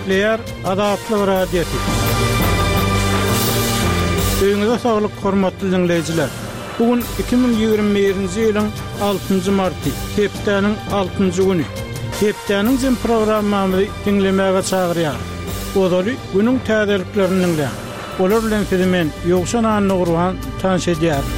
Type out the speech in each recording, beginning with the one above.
Gepleýär Azatlyk Radiosy. Öýüňize saglyk, hormatly diňleýjiler! Bu gün 2021-nji ýylyň altynjy marty, hepdäniň altynjy güni. Hepdäniň jem programmamyzy diňlemäge çagyrýarys. Ozaly günüň täzeliklerini diňläň. Olar bilen sizi men, Ýowşan Annagurban, tanyş edýärin.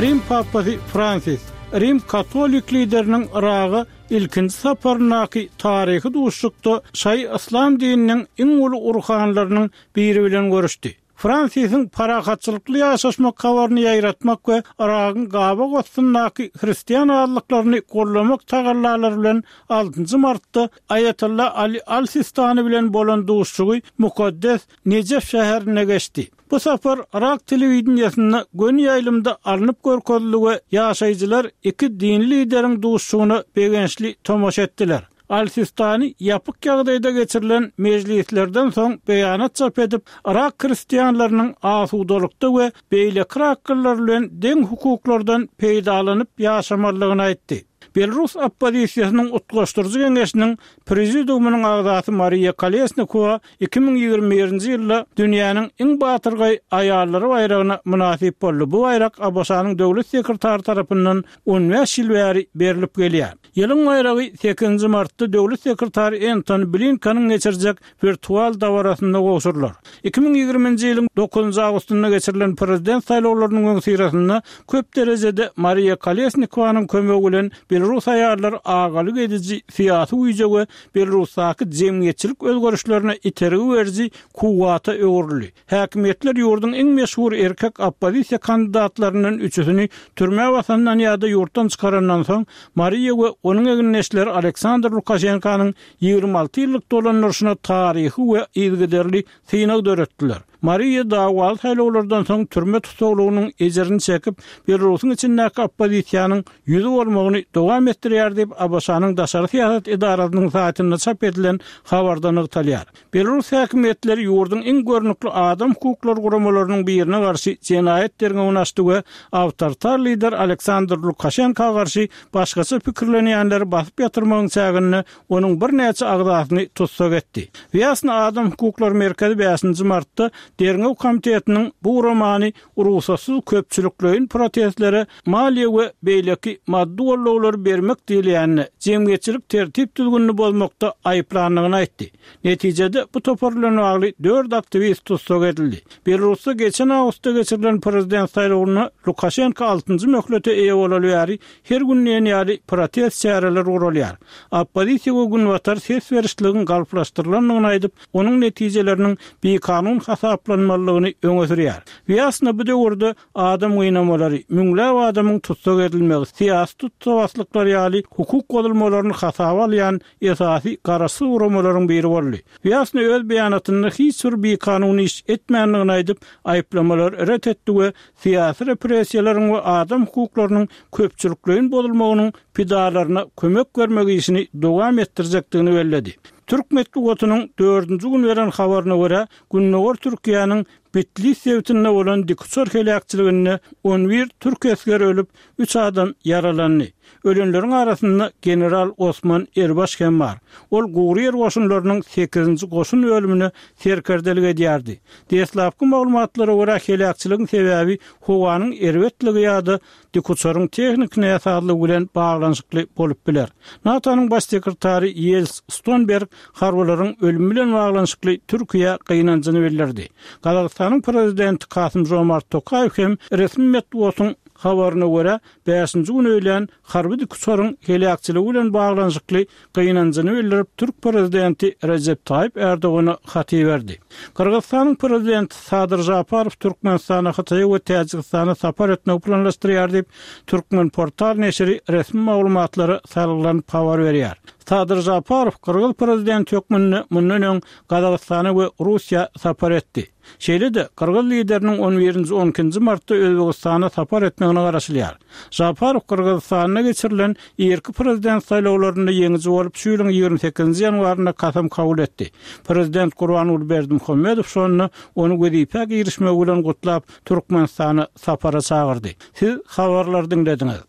Rim papasy Fransis, Rim katolik lideriniň Yraga ilkinji saparyndaky taryhy duşuşykda şaýy yslam dininiň iň uly urhanlarynyň biri bilen görüşdi. Fransisiň parahatçylykly ýaşaşmak habaryny ýaýratmak we Yragyň gabak astyndaky hristian azlyklaryny goldamak tagallalary bilen altynjy martda Aýatolla Ali al-Sistani bilen bolan duşuşygy mukaddes Nejef şäherinde geçdi. Bu sapar yrak telewideniýesinde göni ýaýlymda alnyp görkezildi we ýaşaýjylar iki dini lideriň duşuşygyna begençli tomaşa etdiler. Al-Sistani ýapyk ýagdaýda geçirilen mejlislerden soň beýanat çap edip, yrak hristianlarynyň asudalykda we beýleki yraklylar bilen deň hukuklardan peýdalanyp ýaşamalydygyny aýtdy. Belarus oppozisiýasynyň Utgaşdyryjy geňeşiniň Prezidiumynyň agzasy Mariýa Kolesnikowa 2021-nji ýylda dünýäniň iň batyrgaý aýallary baýragyna mynasyp boldy. Bu baýrak ABŞ-nyň döwlet sekretary tarapyndan on bäş ýyl bäri berlip gelýär. Ýylyň baýragy sekizinji martda döwlet sekretary Entoni Blinkeniň geçirjek wirtual dabarasynda gowşurylar. 2020-nji ýylyň dokuzynjy awgustynda geçirilen prezident saýlawlarynyň öňüsyrasynda köp derejede Mariýa Kolesnikowanyň kömegi bilen belarus aýallary agalyk ediji syýasy güýje we Belarusdaky jemgyýetçilik özgerişlerine itergi beriji kuwwata öwrüldi. Häkimiýetler ýurduň iň meşhur erkek oppozisiýa kandidatlaryndan üçüsini türmä basandan ýa-da ýurtdan çykarandan soň, Mariýa we onuň egindeşleri Aleksandr Lukaşenkanyň 26 ýyllyk dolandyryşyna taryhy we yzygiderli synag döretdiler. Mariýa dawaly saýlawlardan soň türme tussaglygynyň ejirini çekip, Belarusyň içindäki oppozisiýanyň ýüzi bolmagyny dowam etdirýär diýip, ABŞ-nyň daşary syýasat edarasynyň saýtynda çap edilen habarda nygtalýar. Belarus häkimiýetleri ýurduň iň görnükli adam hukuklary guramalarynyň birine garşy jenaýat derňewini açdy we awtoritar lider Aleksandr Lukaşenka garşy başgaça pikirlenýänleri basyp ýatyrmagyň çäginde onuň birnäçe agzasyny tussag etdi. Wýasna adam hukuklary merkezi bäşinji martda Derňew komitetiniň bu guramany rugsatsyz köpçülikleýin protestlere maliýe we beýleki maddy goldawlary bermek diýilýände, jemgyýetçilik tertip-düzgünini bozmakda aýyplandygyny aýtdy. Netijede, bu topar bilen bagly dört aktiwist tussag edildi. Belarusda geçen awgustda geçirilen prezident saýlawynda Lukaşenko altynjy möhlete eýe bolaly bäri her gün diýen ýaly protest çäreleri guralýar. Oppozisiýa we Günbatar ses berişligiň galplaşdyrylandygyny aýdyp, onuň netijeleriniň bikanun hasaplanmalydygyny öňe sürýär. Wýasna bu döwürde adam gynamalary, müňläp adamyň tussag edilmegi, syýasy tussagbaslyklar ýaly hukuk bozulmalaryny hasaba alýan esasy garaşsyz guramalaryň biri boldy. Wýasna öz beýanatynda hiç bir bikanun iş etmändigini aýdyp, aýyplamalary ret etdi we syýasy repressiýalaryň we adam hukuklarynyň köpçülikleýin bozulmagynyň pidalaryna kömek bermek işini dowam etdirjekdigini belledi. Türk metbugatynyň dördünji gün beren habaryna görä, gündogar Türkiýäniň Bitlis sebitinde bolan dikuçar heläkçiliginde on bir türk esgeri ölüp, üç adam ýaralandy. Ölenleriň arasynda general Osman Erbaş hem bar. Ol gury ýer goşunlarynyň sekizinji goşun bölümine serkerdelik edýärdi. Deslapky maglumatlara görä, heläkçiligiň sebäbi howanyň erbetligi ýa-da dikuçaryň tehniki näsazlygy bilen baglanyşykly bolup biler. NATO-nyň Baş sekretary Ýels Stonberg harbylaryň ölümi bilen baglanyşykly Türkiýä gynanjyny bildirdi. Gazagystanyň Prezidenti Kasym-Žomart Tokaýew hem resmi metbugatyň habaryna görä, bäşinji gün öýlän harby dikuçaryň heläkçiligi bilen baglanyşykly gynanjyny bildirip, türk prezidenti Rejep Taýyp Erdogana hat iberdi. Gyrgyzystanyň prezidenti Sadyr Žaparow Türkmenistana, Hytaýa we Täjigistana sapar etmegi planlaşdyrýar diýip, Turkmenportal neşiri resmi maglumatlara salgylanyp habar berýär. Sadyr Žaparow gyrgyz prezidenti hökmünde mundan öň Gazagystana we Russiýa sapar etdi. Şeýle-de, gyrgyz lideriniň on birinji, on ikinji martda Özbegistana sapar etmegine garaşylýar. Žaparow Gyrgyzystanda geçirilen irki prezident saýlawlarynda ýeňiji bolup, şu ýylyň 28-nji ýanwarynda kasam kabul etdi. Prezident Gurbanguly Berdimuhamedow şonda ony wezipä girişmegi bilen gutlap, Türkmenistana sapara çagyrdy. Siz habarlary diňlediňiz.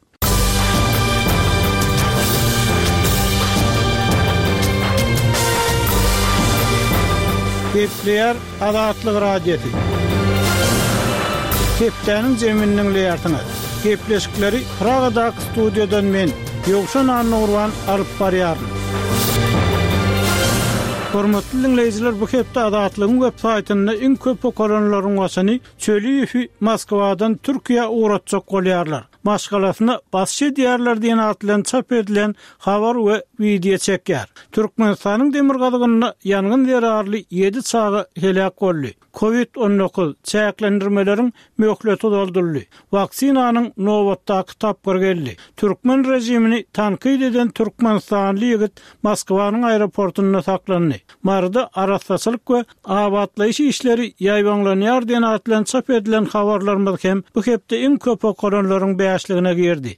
Gepleýär Azatlyk Radiosy. Hepdäniň jemini diňleýärsiňiz. Gepleşikleri Pragadaky studiýadan men, Ýowşan Annagurban alyp barýaryn. Hormatly diňleýjiler, bu hepde Azatlygyň web saýtynda iň köp okalanlaryň başyny Çöliýewi Moskwadan Türkiýä ugratjak bolýarlar. Maşgalasyna basyş edýärler diýen at bilen çap edilen habar we wideo çekýär. Türkmenistanyň demirgazygynda ýangyn zerarly ýedi çaga heläk boldy. Covid 19, çäklendirmeleriň möhleti uzaldyldy. Waksinanyň nobatdaky tapgyry geldi. Türkmen režimini tankyt eden türkmenistanly ýigit Moskwanyň aeroportynda saklandy. Maryda arassaçylyk we abatlaýyş işleri ýaýbaňlanýar diýen at bilen çap edilen habarlarymyz hem bu hepde iň köp okalanlaryň bäşligine girdi.